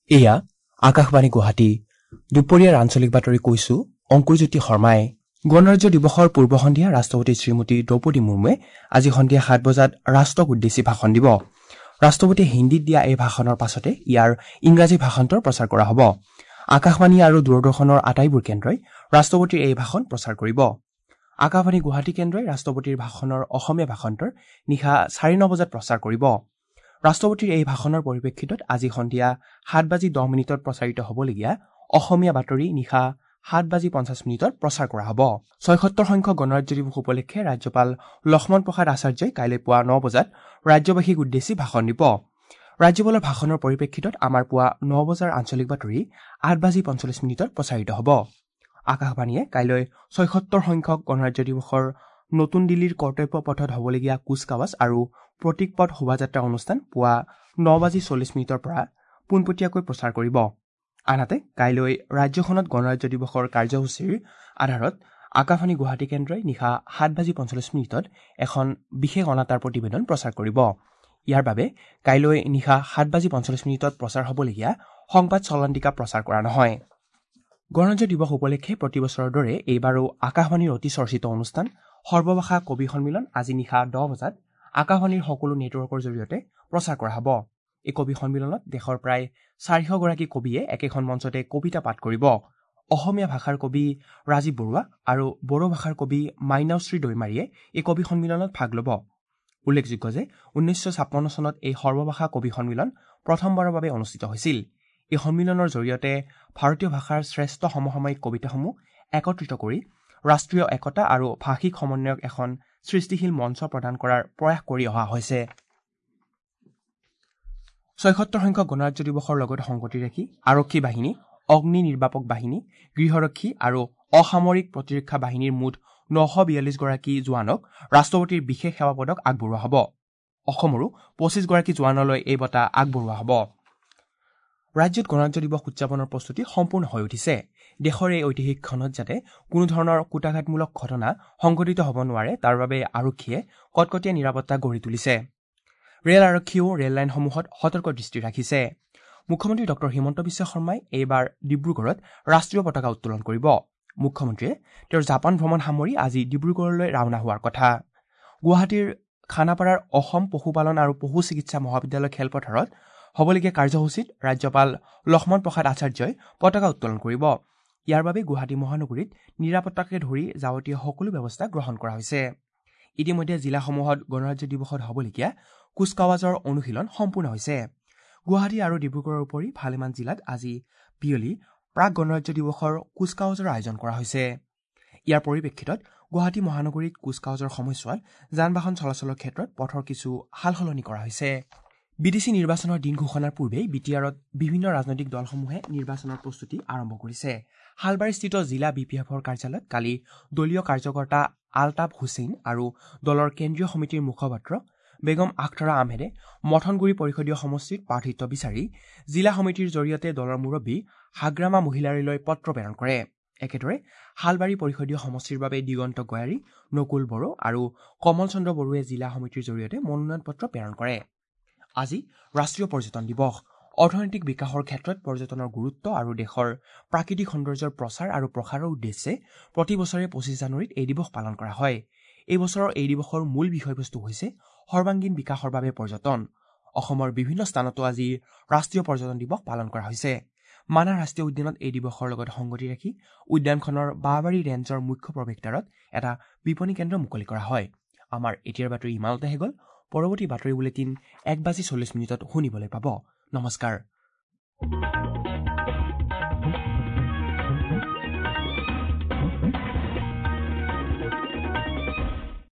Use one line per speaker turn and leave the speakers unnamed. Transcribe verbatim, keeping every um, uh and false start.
এয়া আকাশবাণী গুৱাহাটী। দুপৰীয়াৰ আঞ্চলিক বাতৰি কৈছো অংকুৰজ্যোতি শৰ্মাই। গণৰাজ্য দিৱসৰ পূৰ্ব সন্ধিয়া ৰাষ্ট্ৰপতি শ্ৰীমতী দ্ৰৌপদী মুৰ্মুৱে আজি সন্ধিয়া সাত বজাত ৰাষ্ট্ৰক উদ্দেশ্যি ভাষণ দিব। ৰাষ্ট্ৰপতিয়ে হিন্দীত দিয়া এই ভাষণৰ পাছতে ইয়াৰ ইংৰাজী ভাষান্তৰ প্ৰচাৰ কৰা হ'ব। আকাশবাণী আৰু দূৰদৰ্শনৰ আটাইবোৰ কেন্দ্ৰই ৰাষ্ট্ৰপতিৰ এই ভাষণ প্ৰচাৰ কৰিব। আকাশবাণী গুৱাহাটী কেন্দ্ৰই ৰাষ্ট্ৰপতিৰ ভাষণৰ অসমীয়া ভাষান্তৰ নিশা চাৰে ন বজাত প্ৰচাৰ কৰিব। ৰাষ্ট্ৰপতিৰ এই ভাষণৰ পৰিপ্ৰেক্ষিতত আজি সন্ধিয়া সাত বাজি দহ মিনিটত প্ৰচাৰিত হ'বলগীয়া অসমীয়া বাতৰি নিশা সাত বাজি পঞ্চাছ মিনিটত প্ৰচাৰ কৰা হ'ব। ছয়সত্তৰ সংখ্যক গণৰাজ্য দিৱস উপলক্ষে ৰাজ্যপাল লক্ষ্মণ প্ৰসাদ আচাৰ্যই কাইলৈ পুৱা ন বজাত ৰাজ্যবাসীক উদ্দেশ্যি ভাষণ দিব। ৰাজ্যপালৰ ভাষণৰ পৰিপ্ৰেক্ষিতত আমাৰ পুৱা ন বজাৰ আঞ্চলিক বাতৰি আঠ বাজি পঞ্চল্লিছ মিনিটত প্ৰচাৰিত হ'ব। আকাশবাণীয়ে কাইলৈ ছয়সত্তৰ সংখ্যক গণৰাজ্য দিৱসৰ নতুন দিল্লীৰ কৰ্তব্য পথত হ'বলগীয়া কুচকাৱাজ আৰু প্ৰতীক পথ শোভাযাত্ৰা অনুষ্ঠান পুৱা ন বাজি চল্লিছ মিনিটৰ পৰা পোনপটীয়াকৈ প্ৰচাৰ কৰিব। আনহাতে কাইলৈ ৰাজ্যখনত গণৰাজ্য দিৱসৰ কাৰ্যসূচীৰ আধাৰত আকাশবাণী গুৱাহাটী কেন্দ্ৰই নিশা সাত বাজি পঞ্চল্লিছ মিনিটত এখন বিশেষ অনাতাঁৰ প্ৰতিবেদন প্ৰচাৰ কৰিব। ইয়াৰ বাবে কাইলৈ নিশা সাত বাজি পঞ্চল্লিছ মিনিটত প্ৰচাৰ হ'বলগীয়া সংবাদ চলন্তিকা প্ৰচাৰ কৰা নহয়। গণৰাজ্য দিৱস উপলক্ষে প্ৰতি বছৰৰ দৰে এইবাৰো আকাশবাণীৰ অতি চৰ্চিত অনুষ্ঠান সৰ্বভাষা কবি সন্মিলন আজি নিশা দহ বজাত আকাশবাণীৰ সকলো নেটৱৰ্কৰ জৰিয়তে প্ৰচাৰ কৰা হ'ব। এই কবি সন্মিলনত দেশৰ প্ৰায় চাৰিশগৰাকী কবিয়ে একেখন মঞ্চতে কবিতা পাঠ কৰিব। অসমীয়া ভাষাৰ কবি ৰাজীৱ বৰুৱা আৰু বড়ো ভাষাৰ কবি মাইনাওশ্ৰী দৈমাৰীয়ে এই কবি সন্মিলনত ভাগ ল'ব। উল্লেখযোগ্য যে ঊনৈছশ ছাপন্ন চনত এই সৰ্বভাষা কবি সন্মিলন প্ৰথমবাৰৰ বাবে অনুষ্ঠিত হৈছিল। এই সন্মিলনৰ জৰিয়তে ভাৰতীয় ভাষাৰ শ্ৰেষ্ঠ সমসাময়িক কবিতাসমূহ একত্ৰিত কৰি ৰাষ্ট্ৰীয় একতা আৰু ভাষিক সমন্বয়ক এখন সৃষ্টিশীল মঞ্চ প্ৰদান কৰাৰ প্ৰয়াস কৰি অহা হৈছে। ছয়সত্তৰ সংখ্যক গণৰাজ্য দিৱসৰ লগত সংগতি ৰাখি আৰক্ষী বাহিনী, অগ্নি নিৰ্বাপক বাহিনী, গৃহৰক্ষী আৰু অসামৰিক প্ৰতিৰক্ষা বাহিনীৰ মুঠ নশ বিয়াল্লিছগৰাকী জোৱানক ৰাষ্ট্ৰপতিৰ বিশেষ সেৱা পদক আগবঢ়োৱা হ'ব। অসমৰো পঁচিছগৰাকী জোৱানলৈ এই বঁটা আগবঢ়োৱা হ'ব। ৰাজ্যত গণৰাজ্য দিৱস উদযাপনৰ প্ৰস্তুতি সম্পূৰ্ণ হৈ উঠিছে। দেশৰ এই ঐতিহাসিক ক্ষণত যাতে কোনো ধৰণৰ কূটাঘাতমূলক ঘটনা সংঘটিত হ'ব নোৱাৰে তাৰ বাবে আৰক্ষীয়ে কটকটীয়া নিৰাপত্তা গঢ়ি তুলিছে। ৰেল আৰক্ষীয়েও ৰেল লাইনসমূহত সতৰ্ক দৃষ্টি ৰাখিছে। মুখ্যমন্ত্ৰী ডক্টৰ হিমন্ত বিশ্ব শৰ্মাই এইবাৰ ডিব্ৰুগড়ত ৰাষ্ট্ৰীয় পতাকা উত্তোলন কৰিব। মুখ্যমন্ত্ৰীয়ে তেওঁৰ জাপান ভ্ৰমণ সামৰি আজি ডিব্ৰুগড়লৈ ৰাওনা হোৱাৰ কথা। গুৱাহাটীৰ খানাপাৰাৰ অসম পশুপালন আৰু পশু চিকিৎসা মহাবিদ্যালয় খেলপথাৰত হ'বলগীয়া কাৰ্যসূচীত ৰাজ্যপাল লক্ষ্মণ প্ৰসাদ আচাৰ্যই পতাকা উত্তোলন কৰিব। ইয়াৰ বাবে গুৱাহাটী মহানগৰীত নিৰাপত্তাকে ধৰি যাৱতীয় সকলো ব্যৱস্থা গ্ৰহণ কৰা হৈছে। ইতিমধ্যে জিলাসমূহত গণৰাজ্য দিৱসত হ'বলগীয়া কুচকাৱাজৰ অনুশীলন সম্পূৰ্ণ হৈছে। গুৱাহাটী আৰু ডিব্ৰুগড়ৰ উপৰি ভালেমান জিলাত আজি বিয়লি প্ৰাক গণৰাজ্য দিৱসৰ কুচকাৱাজৰ আয়োজন কৰা হৈছে। ইয়াৰ পৰিপ্ৰেক্ষিতত গুৱাহাটী মহানগৰীত কুচকাৱাজৰ সময়ছোৱাত যান বাহন চলাচলৰ ক্ষেত্ৰত পথৰ কিছু সাল সলনি কৰা হৈছে। বি টি চি নিৰ্বাচনৰ দিন ঘোষণাৰ পূৰ্বেই বি টি আৰত বিভিন্ন ৰাজনৈতিক দলসমূহে নিৰ্বাচনৰ প্ৰস্তুতি আৰম্ভ কৰিছে। শালবাৰীস্থিত জিলা বি পি এফৰ কাৰ্যালয়ত কালি দলীয় কাৰ্যকৰ্তা আলতাফ হুছেইন আৰু দলৰ কেন্দ্ৰীয় সমিতিৰ মুখপাত্ৰ বেগম আখতাৰা আহমেদে মথনগুৰি পৰিষদীয় সমষ্টিত প্ৰাৰ্থিত্ব বিচাৰি জিলা সমিতিৰ জৰিয়তে দলৰ মুৰব্বী হাগ্ৰামা মহিলাৰীলৈ পত্ৰ প্ৰেৰণ কৰে। একেদৰে শালবাৰী পৰিষদীয় সমষ্টিৰ বাবে দিগন্ত গয়াৰী, নকুল বড়ো আৰু কমল চন্দ্ৰ বড়োৱে জিলা সমিতিৰ জৰিয়তে মনোনয়ন পত্ৰ প্ৰেৰণ কৰে। আজি ৰাষ্ট্ৰীয় পৰ্যটন দিৱস। অৰ্থনৈতিক বিকাশৰ ক্ষেত্ৰত পৰ্যটনৰ গুৰুত্ব আৰু দেশৰ প্ৰাকৃতিক সৌন্দৰ্যৰ প্ৰচাৰ আৰু প্ৰসাৰৰ উদ্দেশ্যে প্ৰতি বছৰে পঁচিছ জানুৱাৰীত এই দিৱস পালন কৰা হয়। এই বছৰৰ এই দিৱসৰ মূল বিষয়বস্তু হৈছে সৰ্বাংগীন বিকাশৰ বাবে পৰ্যটন। অসমৰ বিভিন্ন স্থানতো আজি ৰাষ্ট্ৰীয় পৰ্যটন দিৱস পালন কৰা হৈছে। মানাহ ৰাষ্ট্ৰীয় উদ্যানত এই দিৱসৰ লগত সংগতি ৰাখি উদ্যানখনৰ বাঁহবাৰী ৰেঞ্জৰ মুখ্য প্ৰৱেশদ্বাৰত এটা বিপণী কেন্দ্ৰ মুকলি কৰা হয়। আমাৰ এতিয়াৰ বাতৰি ইমানতেহে গ'ল। পৰৱৰ্তী বাতৰি বুলেটিন এক বাজি চল্লিছ মিনিটত শুনিবলৈ পাব। নমস্কাৰ।